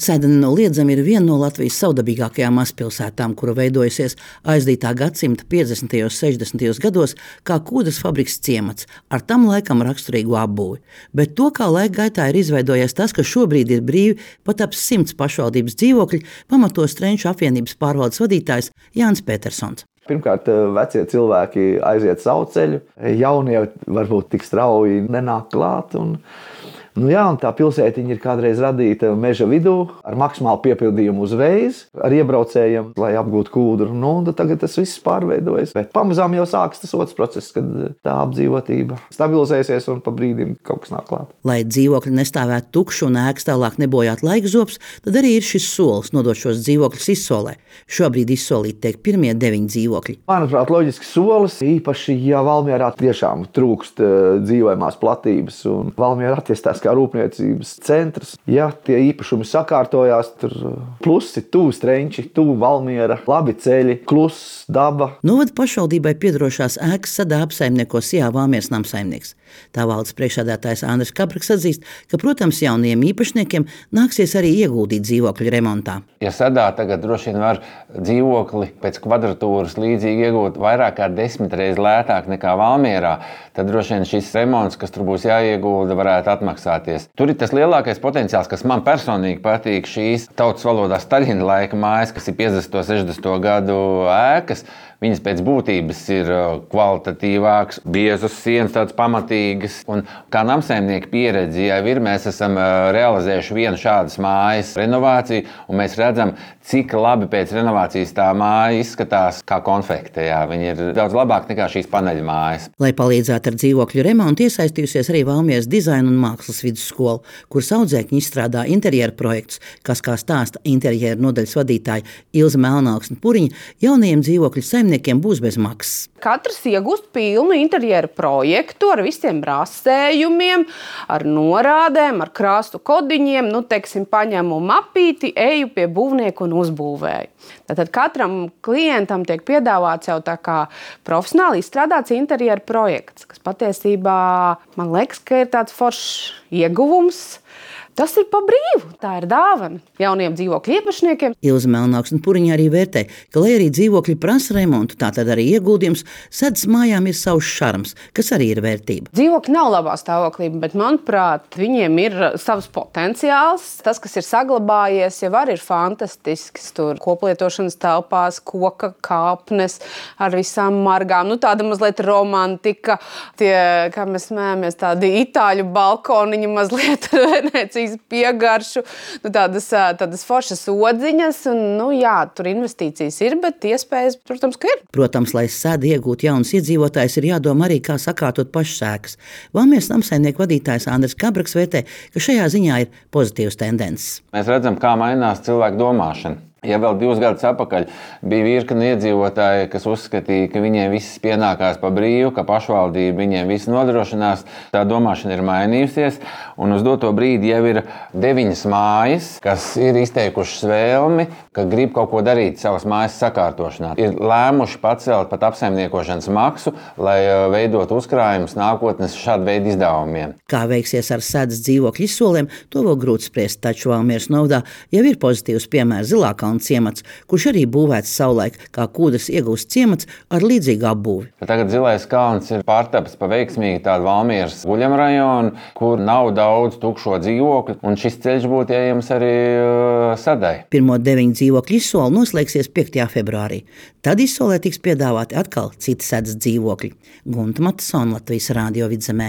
Sēde nenoliedzami ir viena no Latvijas savdabīgākajām mazpilsētām, kura veidojusies aizdītā gadsimta 50. un 60. gados kā kūdras fabrikas ciemats, ar tam laikam raksturīgu apbūvi. Bet to, kā laika gaitā ir izveidojies tas, ka šobrīd ir brīvi pat ap 100 pašvaldības dzīvokļi, pamato Strenču apvienības pārvaldes vadītājs Jānis Petersons. Pirmkārt, vecie cilvēki aiziet savu ceļu, jaunie varbūt tik strauji nenāk klāt. Un tā pilsētiņa ir kādreiz radīta meža vidū ar maksimālu piepildījumu uzreiz, ar iebraucējiem, lai apgūtu kūdru. Tagad tas viss pārveidojas. Bet pamazām jau sākas tas otrs process, kad tā apdzīvotība stabilizēsies un pa brīdim kaut kas nāk klāt. Lai dzīvokļi nestāvētu tukši un ēkas tālāk nebojāt laika zobs, tad arī ir šis solis nodot šos dzīvokļus izsolē. Šobrīd izsolīti tiek pirmie 9 dzīvokļi. Manuprāt, loģisks solis, īpaši, ja Valmierā tiešām trūkst dzīvojamās platības un Valmiera attīstās kā rūpniecības centrs. Ja tie īpašumi sakārtojās, tur plusi, tuvu Strenči, tuvu Valmiera, labi ceļi, kluss, daba. Novada pašvaldībai piedarošās ēkas sadā apsaimnieko Sijā Valmieras namsaimnieks. Tā valdes priekšsēdētājs Andris Kabraks atzīst, ka, protams, jaunajiem īpašniekiem nāksies arī ieguldīt dzīvokļu remontā. Ja sadā tagad droši vien var dzīvokli pēc kvadratūras līdzīgi iegūt vairāk kā 10 reizes lētāk nekā Valmierā, tad droši vien šis remonts, kas tur būs jāiegulda, varētu atmaksāties. Tur ir tas lielākais potenciāls, kas man personīgi patīk, šīs tautas valodā Staļina laika mājas, kas ir 50. un 60. gadu ēkas. Viņas pēc būtības ir kvalitatīvākas, biezas sienas, tādas pamatīgas. Un kā namsaimnieki pieredzi jau ir, mēs esam realizējuši vienu šādas mājas renovāciju, un mēs redzam, cik labi pēc renovācijas tā māja izskatās kā konfekte. Viņa ir daudz labāka nekā šīs paneļa mājas. Lai palīdzētu ar dzīvokļu remontu, iesaistījusies arī Valmieras dizaina un mākslas vidusskola, kuras audzēkņi izstrādā interjeru projektus, kas, kā stāsta interjeru nodaļas vadītāja Ilze Melnauksne-Puriņa, jaunajiem dzīvokļu saimniekiem būs bez maksas. Katrs iegūst pilnu interjeru projektu ar visiem rastējumiem, ar norādēm, ar krāstu kodiņiem. Paņemu mapīti, eju pie būvnieku un uzbūvēju. Tātad katram klientam tiek piedāvāts jau tā kā profesionāli izstrādāts interjeru projekts, kas patiesībā, man liekas, ka ir tāds foršs ieguvums. Tas ir pa brīvu, tā ir dāvana jauniem dzīvokļu īpašniekiem. Ilze Melnauksne-Puriņa arī vērtē, ka, lai arī dzīvokļi prasa remontu, tātad arī ieguldījums, Sedas mājām ir savs šarms, kas arī ir vērtība. Dzīvokļi nav labā stāvoklī, bet, manuprāt, viņiem ir savs potenciāls. Tas, kas ir saglabājies, jau arī ir fantastisks. Tur koplietošanas telpās, koka kāpnes ar visām margām. Tāda mazliet romantika, tie, kā mēs smējamies, tādi itāļu balkoniņi mazliet Venēcijas piegaršu, tādas foršas odziņas. Tur investīcijas ir, bet iespējas, protams, ka ir. Protams, lai Seda iegūtu jaunus iedzīvotājus, ir jādomā arī, kā sakārtot pašas ēkas. Valmieras namsaimnieku vadītājs Andris Kabraks vērtē, ka šajā ziņā ir pozitīvas tendences. Mēs redzam, kā mainās cilvēku domāšana. Ja vēl 2 gadus atpakaļ bija virkne iedzīvotāji, kas uzskatīja, ka viņiem viss pienākās pa brīvu, ka pašvaldība viņiem visu nodrošinās, tā domāšana ir mainījusies. Un uz doto brīdi jau ir 9 mājas, kas ir izteikušas vēlmi, ka grib kaut ko darīt savas mājas sakārtošanā. Ir lēmuši pacelt pat apsaimniekošanas maksu, lai veidot uzkrājumus nākotnes šādu veidu izdevumiem. Kā veiksies ar Sedas dzīvokļu izsolēm, to vēl grūti spriest, taču Valmieras novadā jau ir pozitīvs piemērs Zilākalna ciemats, kurš arī būvēts savulaik kā kūdras iegūsts ciemats ar līdzīgu apbūvi. Tagad Zilais kalns ir pārtapis pa veiksmīgi tādu Valmieras guļamrajonu, kur nav daudz tukšo dzīvokļu, un šis ceļš būtu ejams arī Sedai. Pirmo 9 dzīvokļu izsoli noslēgsies 5. februārī. Tad izsolē tiks piedāvāti atkal citi Sedas dzīvokļi. Gunta Matisona, Latvijas Rādio Vidzemē.